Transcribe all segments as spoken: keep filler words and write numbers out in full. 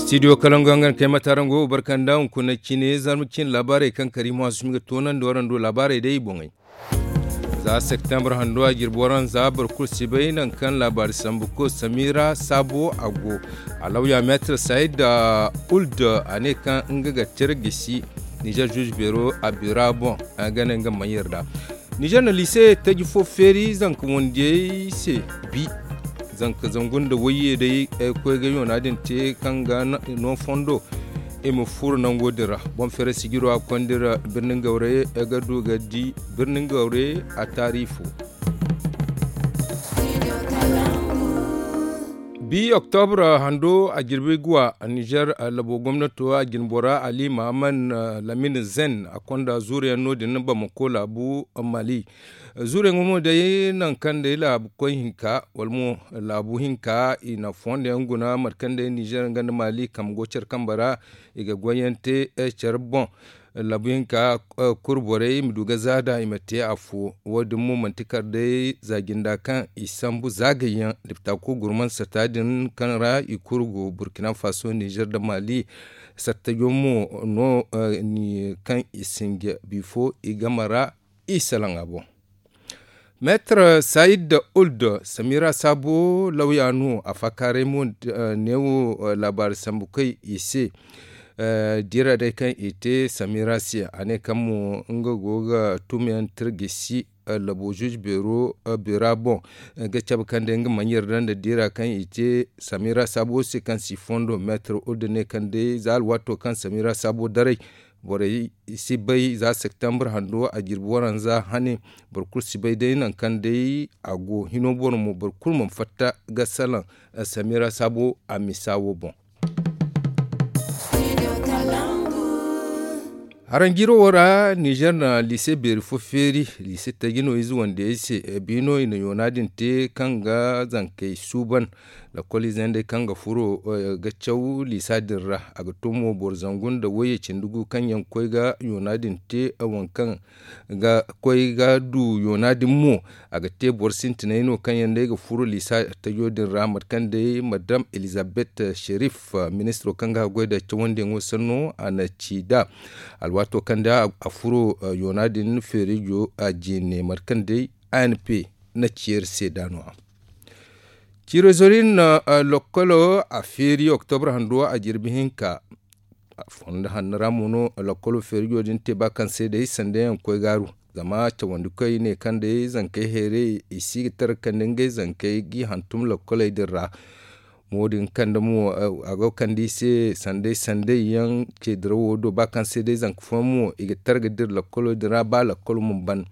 Studio kalangu hangan kay matarango barkanda hunkuna cine zarma cine laabaarey kaŋ kari mo a sumi ga toonandi warando laabaarey day i boŋey. Za septembre hando a jirbi waranza boro kulu si bay nangu kaŋ laabaari sambu ko samira saabo a go. A lawya meetar sayid uld a ne kaŋ nga ga tira gisi nizer zuuzu beero a bira boŋ. A ga ne nga mana yarda nizer na liise taji fo feeri zanka wandiyey se. Bi zanka zangu nda wayye day ay koy ga yoona din te kaŋ ga no fondo i ma furo nango din ra. Boŋ feere sijiro a kondi ra birnin gawre ga du ga di birnin gawre a taari fo. Bi oktobra hando a jirbi guwa nizer labo gomnato a jinbora ali mahaman lamin zen a konda zuuriyaŋ no- din bamako laabu mali. Zuuriyaŋo mo day nangu kaŋ day laabu koy hinka wala mo laabu hinka i na fondo yaŋ guna mate kaŋ day nizer nga nda mali kambe go care kambe ra i ga goyyaŋ te care boŋ. Laabu hinka kuru borey i ma du ga zaada i ma te afo. Wo- din mo manti kala day za jinda kaŋ i sambu zaagayyaŋ dipta kulu gurman satta din kaŋ ra i kulu go burkina faso nizer nda mali. Sattajo mo no kaŋ i singe bifo i game ra i salaŋ a boŋ. Meetar sayid uld samira saabo lawya no a faakaaray mo neewo laabaari sambu koy i se. Diira day kaŋ i te samira se a ne kaŋ mo nga go ga tumayaŋ tirgisi labo zuuzu beero bira boŋ. Ga cabe kaŋ day nga mana yarda nda diira kaŋ i te samira saabo se kaŋ si fondo meetar uld ne kaŋ day za alwaato kaŋ samira saabo daray borey si bay za septembre hando a jirbi waranza hane. Boro kulu si bay day nangu kaŋ day a go hino boro mo boro kulu mana fatta ga salaŋ samira saabo a misa wo boŋ. Haranjiro wo ra nizer na liise beeri fo feeri liise taji no ize wandiyey se. Biino i na yoona din te kaŋ ga zankey suuban. Lakkol ize yaŋ day kaŋ ga furo ga caw liisa din ra a ga to mo boro zangu nda wayye cindi gu kaŋ yaŋ koy ga yoona din te waŋ kaŋ ga koy ga du yoona din mo. A ga te boro sintinay no kaŋ yaŋ day ga furo liisa tajo din ra mate kaŋ day madam elizabeth sherif ministiro kaŋ ga goy da cawandiyaŋo sanno a na ci da alwaato kaŋ da a furo yoona din feerijo a jeene mate kaŋ day a n p na ci iri se da no-ya. Ciirozorin na lokkolo a feeri oktobra hando a jirbi hinka. Fondo hanno ra mo no lokkolo feerijo din te ba kaŋ se day sanda yaŋ koy gaaru zama cawandi koy ne kaŋ day zankey heeray i si ga tara kaŋ da ngey zankey g'i hantum lokkoley din ra. Mo din kaŋ da mo a go kaŋ da i se sanday sanday yaŋ ce dirawo do ba kaŋ se day zanka fooyaŋ mo i ga tara ga dira lokkolo din ra ba lokkolo ma ban.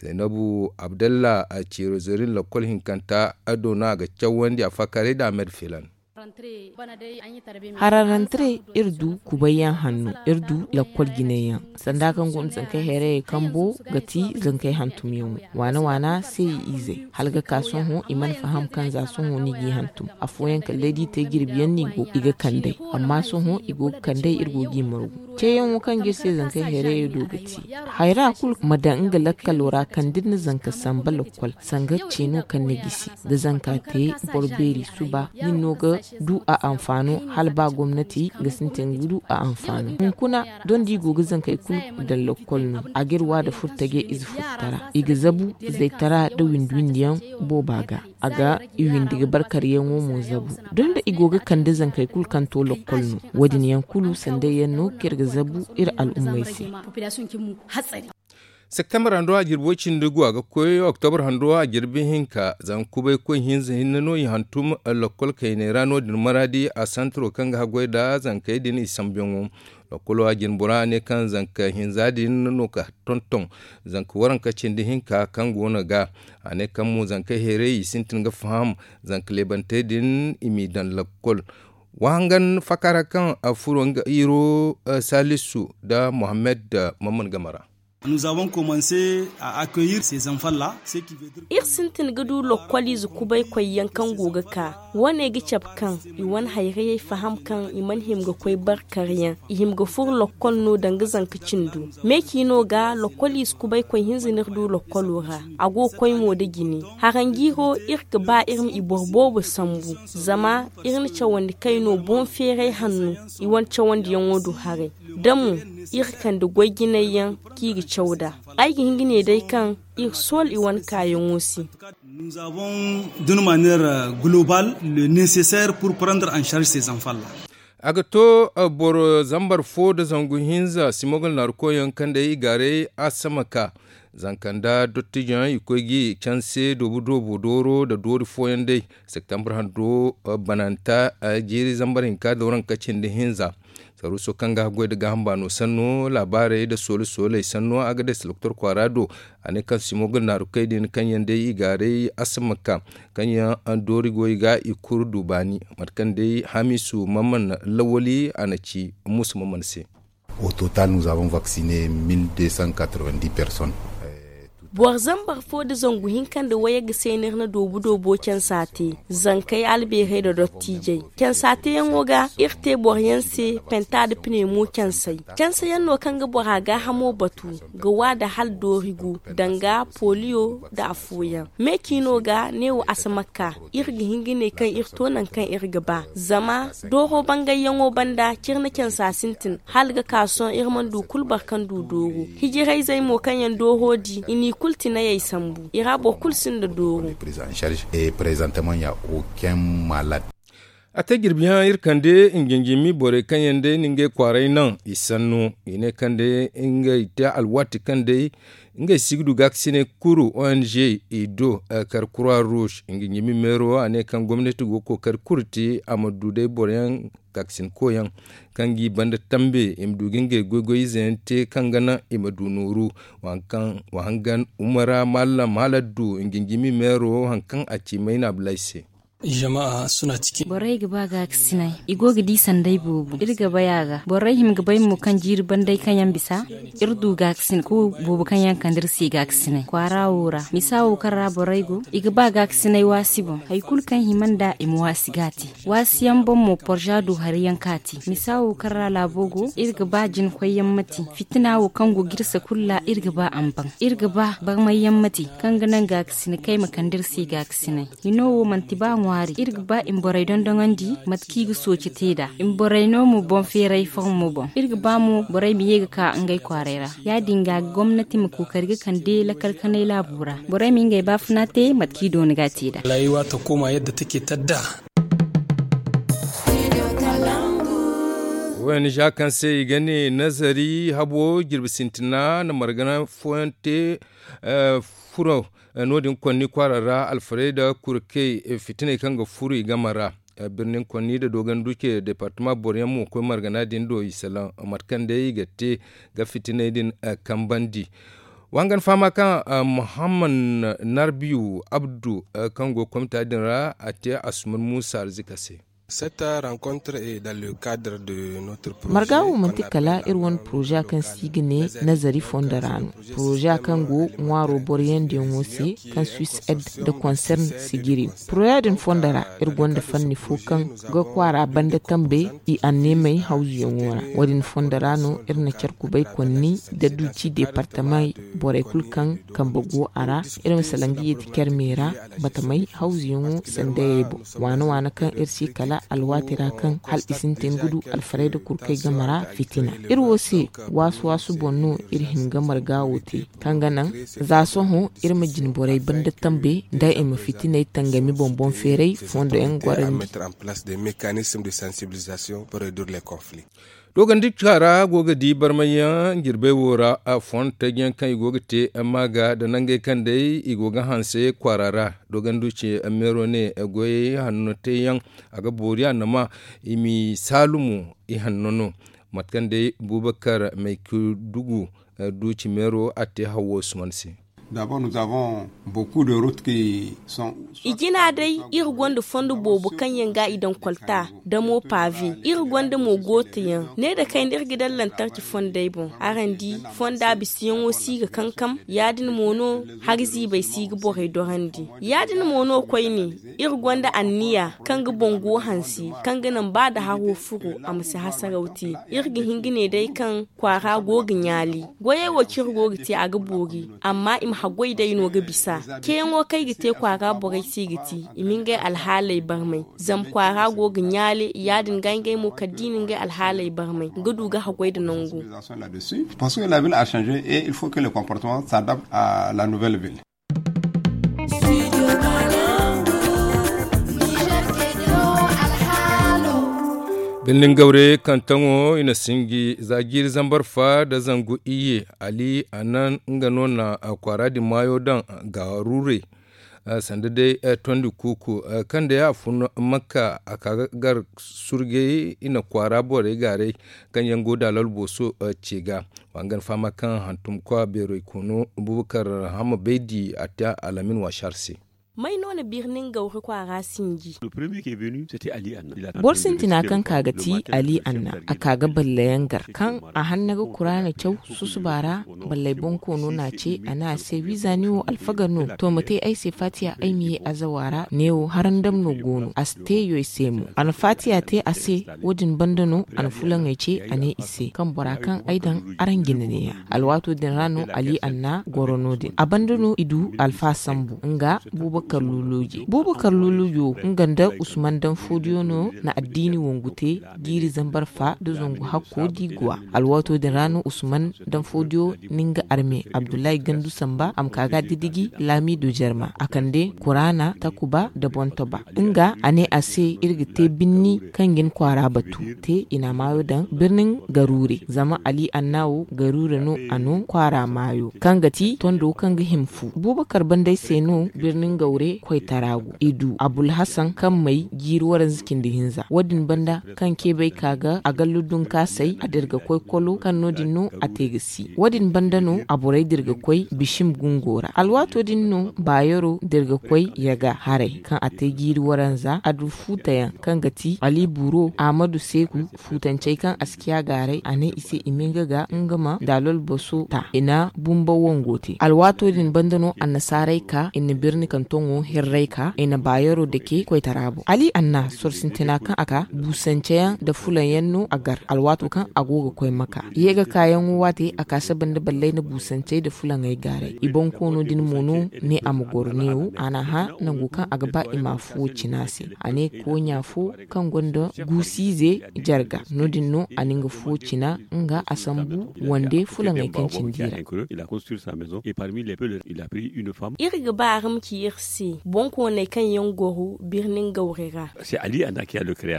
Zaynabu abdalla a ciiro zorin lokkol hinkanta a do no a ga cawandi a faakaaray da a ma iri filan. Hararantare iri du kubayyaŋ hanno iri du lakkol jinayyaŋ sanda kaŋ go nda zankey hayrayey kambo ga ti zankey hantumyaŋo waana waana se i izey hala ga ka sohõ i mana faham kaŋ za sohõ no i g'i hantum afooyaŋ kala day da i te jirbiyaŋ no i ga kand'ey amma sohõ i go ga kand'ey iri go g'i margu. Ceeyaŋo kaŋ ga iri se zankey hayrayey do ga ti hayra kulu ma daŋ nga lakkalo ra kaŋ da iri na zanka samba lakkol sanga ceeno kaŋ ni gisi da zanka te boro beeri suba nin no ga du a anfaano hala ba gomnati ga sintin ga du a anfaano hunkuna doŋ da i go ga zankey kulu daŋ lakkol no a ga iri wa da furtaje ize furtara i ga zabu izey tara da windi windi yaŋ booba ga a ga i windi ga barkaryaŋo mo zabu doŋ da i go ga kande zankey kulu kaŋ to lakkol no wo- din yaŋ kulu sanday yaŋ no kaŋ iri ga zabu iri al'ummey se. Septembre hando a jirbi way cindi gu a ga koy oktobre hando a jirbi hinka zama kubay koy hinza hinne no i hantum lakkol kayney ra no- din maraadi a santiro kaŋ ga haggoy nda zankey din i sambuyaŋo. Lakkolo a jine bora ne kaŋ zanka hinza din no ka tonton zanka waranka cindi hinka kaŋ go no ga a ne kaŋ mo zanka heeray i sintin ga faham zanka leebantey din i m'i daŋ lakkol. Wahangan fakaara kaŋ a furo nga iro salisu nda mohammed mamman game ra. Iri sintin ga du lokkoliize kubaykoy yaŋ kaŋ go ga ka. Wane ga cabe kaŋ i wane hayrayey faham kaŋ i mana hima ga koy barkaryaŋ, i hima ga furo lokkol no danga zanka cindo. Me ci no ga lokkoliize kubaykoy hinza no iri du lokkolo ra. A go ga koy mo nda jine. Haranjiiro, iri ga ba iri ma i boro boobo sambu, zama iri na cawandi kayno boŋ feeray hanno i wane cawandiyaŋo do haray. Da mo iri kande goy jinay yaŋ kaŋ i ga caw nd'a. Ay ga hin ga ne day kaŋ iri soola i wane kaayaŋo se. D'une manière globale, le nécessaire pour prendre en charge ces enfants là. A ga to boro zambar fo nda zangu hinza simogol naarukoyyaŋ kaŋ day i gaaray asama ka. Zanka nda dottijoyaŋ i koy ga i canse doobu doobu dooro nda doori fooyaŋ day. Septembre hando bananta jiiri zambar hinka da waranka cindi hinza. Saruuso kaŋ ga goy nda gaaham baano sanno laabaarey nda soole sooley sanno a ga day salaktor kwaara do. A ne kaŋ simogol naarukey din kaŋ yaŋ day i gaaray asama ka kaŋ yaŋ doori goy ga i kuru du baani. Mate kaŋ day hamisu mamman lawali a na ci musu mamman se. Au total nous avons vacciné mille deux cent quatre-vingt-dix personnes. Boro zambar fo nda zangu hinka nda wayagga se no iri na doobu doobo cansa te. Zankey albeerey nda dottiijey cansa teeyaŋo ga iri te boroyaŋ se penta nda pine mo cansay. Cansayaŋ no kaŋ ga bora gaahamo batu ga wa nda hala doori gu danga poliyo nda afooyaŋ. Me ciino ga neewo asamakka iri ga hin ga ne kaŋ iri to nangu kaŋ iri ga ba zama dooro bangayyaŋo banda ciri na cansa sintin hala ga ka sohõ iri mana du kulu boro kaŋ du dooro. Hijirayzey mo kaŋ yaŋ dooro di i n'i kulu tinayey sambu i ra boro kulu sinda dooro. A te jirbiyaŋ iri kande nginjimi borey kaŋ yaŋ day na ngey kwaaray naŋ i sanno i ne kaŋ day ngey te alwaati kaŋ day ngey si ga du gaakasinay kuru ong i do kar kura rouge nginjimi meero a ne kaŋ gomnati go ga kookari kuru te a ma du day boroyaŋ gaakasin koyaŋ kaŋ ga i banda tambe i ma du ga ngey goy-goy ize yaŋ te kaŋ ga naŋ i ma du nooru. Wa hangan umara mallam hala du nginjimi meero hari kaŋ a ci mayna abulay se. Borey ga ba gaakasinay i go ga di sanday boobo iri ga bay a ga borey hima ga bay mo kaŋ jiiri banday kaŋ yaŋ bisa iri du gaakasin ko boobo kaŋ yaŋ kande iri se gaakasinay kwaara wo ra misa wo kaŋ ra borey go i ga ba gaakasinay waasi boŋ hari kulu kaŋ hima nd'a i ma waasi ga a te. Waasi yaŋ boŋ mo porza du hari yaŋ kaŋ a te misa wo kaŋ ra laabo go iri ga ba jina koy yaŋ ma te fitina wo kaŋ go ga iri se kulu ra iri ga ba a ma baŋ iri ga ba barmay yaŋ ma te kaŋ ga naŋ gaakasinay kaŋ ay ma kande iri se gaakasinay. Hino wo manti ba ŋwaari iri ga ba i ma borey dondoŋandi mate kaŋ i ga sooci te nd'a i ma borey no mo boŋ feeray formo boŋ iri ga ba mo borey ma ye ga ka ngey kwaaray ra. Ya- din ga gomnati ma kookari ga kande lakal kanay laabo ra borey ma ngey baafuna te mate kaŋ i doona ga a te nd'a. Ong kaŋ se i ga ne nazari habo jirbi sintina na margana fooyaŋ te furo no- din konni kwaara ra alfarayda kurkey fitiney kaŋ ga furo i game ra. Birnin konni nda dogon duce departama boroyaŋ mo koy margana din do i salaŋ mate kaŋ day i ga te ga fitiney din kambandi. Wa hangan fahama kaŋ muhammad narbiyu abdu kaŋ go komita din ra a te asuman muusa arzika se. Marga wo manti kala iri wane poroza kaŋ se i ga ne nazari fondo ra no. Poroza kaŋ go ŋwaaro boroyandiyaŋo se kaŋ swiss ed nda konsern si giri no. Poroza din fondo ra iri gonda fanni fo kaŋ ga kwaara banda tambey i anneemey hawzuyaŋo ra. Wo- din fondo ra no iri na care kubay konni nda duuci deepartamey borey kulu kaŋ kambe go a ra. Iri ma salaŋ ga yeeti care me ra batamey hawzuyaŋo sandayey boŋ. Waana waana kaŋ iri si kala alwaati ra kaŋ hala i sintin ga du alfarayda kurkey game ra fitina. Iri wo se waasu waasu boŋ no iri hin ga marga wo te kaŋ ga naŋ za sohõ iri ma jine borey banda tambe nda i ma fitiney tangami boŋ boŋ feeray fondo yaŋ gorandi. Dogandi kaara go ga di barmayyaŋ jirbey wo ra fondo tajiyaŋ kaŋ i go ga te amma ga da nangey kaŋ day i go ga hanse kwaara ra. Dogandi ce meero ne goyey hanno teeyaŋ a ga boori a nama i m'i saalumo i hanno no. Mate kaŋ day bubakar maykudugu duuci meero a te hawo suman se. I jina day, iri gonda fondo boobo kaŋ yaŋ ga i daŋ kolta, damo pave. Iri gonda mo gooto yaŋ. Ne nda kayna iri ga daŋ lantarki fondey boŋ. Araŋ di, fonda bisiyaŋo si ga kankam. Ya- din mo no, hari ziibey si ga borey dorandi. Ya- din mo no koyne, iri gonda anniya kaŋ ga boŋ go hanse, kaŋ ga naŋ ba nda haro furo, a ma si hasaraw te. Iri ga hin ga ne day kaŋ kwaara go ga ɲaali. Goyey wo kaŋ iri go ga te, a ga boori, amma i ma haggoy day no ga bisa. Ceeyaŋo kaŋ ay ga te kwaara borey se, i ga te i ma ngey alhaaley barmay. Zama kwaara go ga ɲaali, ya- din ga ngey mo kala da i na ngey alhaaley barmay, ga du ga haggoy nda nangu. Parce que la ville a changé et il faut que le comportement s'adapte à la nouvelle ville. Birnin gawre kantaŋo i na sinji za jiiri zambar fa nda zangu iyye. Ali annan nga no na kwaara din maayo daŋ ga rure. Sanda day tondi kuuku kaŋ day a fun makka a ka ga gar surgey i na kwaara borey gaaray kaŋ yaŋ go da lal booso ce ga. Wa nga ni fahama kaŋ hantum kwa beerey koono bubakar hamma baydi a te alamin waasar se. May no na birnin gawri kwaara sinji? Boro sintina kaŋ ka ga ti ali anna a ka ga ballayaŋ gar kaŋ a hanna ga kuraana caw susuba ra. Ballay bonkoono n'a ce a ne a se wiiza ni wo alfaga no to ma te ay se faatiya ay ma ye azawa ra ne wo harandam no go no a si te yoy se mo a na faatiya te a se. Wo- din banda no a na fulaŋey ce a ne i se kaŋ bora kaŋ ay daŋ araŋ jina ne- ya. Alwaato din ra no ali anna goro no- din a banda no i du alfa sambu nga bubakar luluuji bubakar luluuji wo nga nda usman daŋ foodiyo no na addiini wangu te. Jiiri zambar fa nda zangu hakko di guwa. Alwaato din ra no usman daŋ foodiyo na nga arme abdullahi gandu samba a ma ka ga didiji laamiido jarma a kande kuraana takuba nda boŋ toba. Nga a ne a se iri ga te binni kaŋ ga ni kwaara batu te i na a maayo daŋ birnin garuure zama ali anna wo garuure no a no kwaara maayo kaŋ ga ti tondo kaŋ ga hima fu bubakar banday se no birnin gawre koytara go i du abulhasan kaŋ may jiiri waranza cindi hinza wo- din banda kaŋ ceebay ka ga a gallu dunkaasay a dirga koy kolo kaŋ no- din no a te ga si wo- din banda no a borey dirga koy bishim gungo ra alwaato din no baayaro dirga koy yaga haray kaŋ a te jiiri waranza a du fuutayaŋ kaŋ ga ti ali buro ahmadu seeku fuutancey kaŋ a si ciya gaaray a ne i se i ma nga ga nga ma daalol boso ta i na bumba wango te alwaato din banda no annasaarey ka i na birni kantoŋo hirray ka i na baayaro dake koytara boŋ ali anna soro sintina kaŋ a ka buusanceyaŋ nda fulanyaŋ no a gar alwaato kaŋ a go ga koy maka ye ga kaayaŋo waate a ka saba nda ballay nda buusancey nda fulaŋey gaaray i boŋ koono din mo no ne a ma goro neewo a n'a hã nango kaŋ a ga ba i ma a fuwo cina se a ne kooɲa fo kaŋ gonda guusiize jarga no- din no a na nga fuwo cina nga a sambu wande fulaŋey kaŋ cindi ra. Iri ga ba araŋ ma ci iri se boŋkooney kaŋ yaŋ goro birnin gawre ra.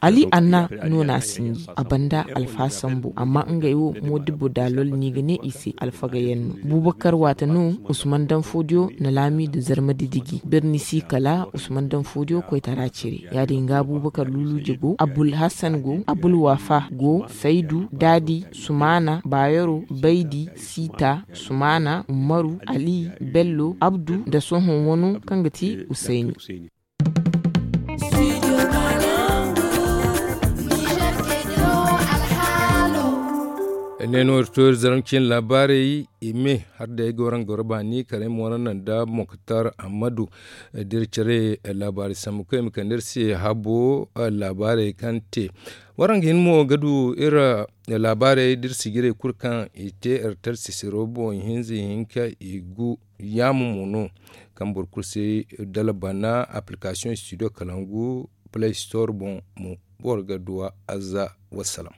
Ali anna no na a sinji a banda alfa sambu amma ngey wo moodibbo daalol no i ga ne i se alfagayaŋ no. Bubakar waate no usman daŋ foodiyo na laamiido zarma didiji birni si kala usman daŋ foodiyo koytara cire ya- din ga bubakar luluuje go abulhasan go abulwafa go saydu daadi sumaana baayaro baydi siita sumaana umaru ali bello abdu nda sohõ wano kaŋ ga ti usayni. Ne no iri to iri zaraŋ cine laabaarey i me har day ga waraŋ goro baani kala ay ma waraŋ naŋ nda moktar ammadu. Da iri care laabaari sambu kaŋ i ma kande iri se habo laabaarey kaŋ te waraŋ ga hin mo ga du iri laabaarey da iri sijirey kulu kaŋ i te iri tara sisiro boŋ ihinza ihinka i gu yaama mo no kaŋ boro kulu se dala bana application studio kalangu play store boŋ mo boro ga duwa azza wassalam.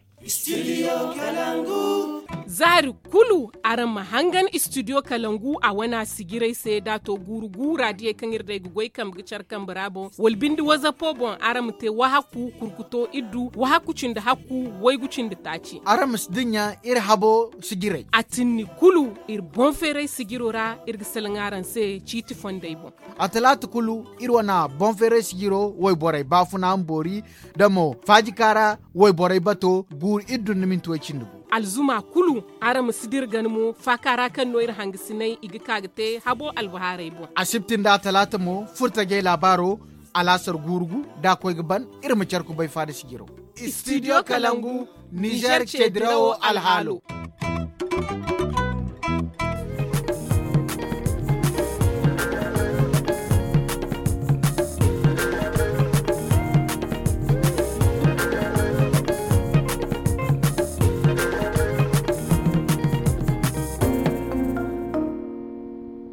Zaari kulu araŋ ma hangan studio kalangu a wana sijiray se da to guuru guura diyey kaŋ iri day ga goy kambe ga care kambe ra boŋ wala binde wazapo boŋ araŋ ma te wahaku kurkuto iddu wahaku cindi hakku waygu cindi taaci. Araŋ ma si dinya iri habo sijiray a tinni kulu iri boŋ feeray sijiro ra iri ga salaŋ araŋ se ciiti fondey boŋ. A talaata kulu iri wana boŋ feeray sijiro wayborey baafuna ma boori da mo faajikaara wayborey bato guuru iddu nda minti way cindi gu. Alzuma kulu, araŋ ma si dira gana mo faaka ra kaŋ no iri hangasinay i ga ka ga te habo albahaarey boŋ. Asibti nda talaata mo, furtajey laabaaro, alaasar guurugu da a koy ga ban. Iri ma care kubay faada sijiro. Studio kalangu, nizer ce dirawo alhaalo.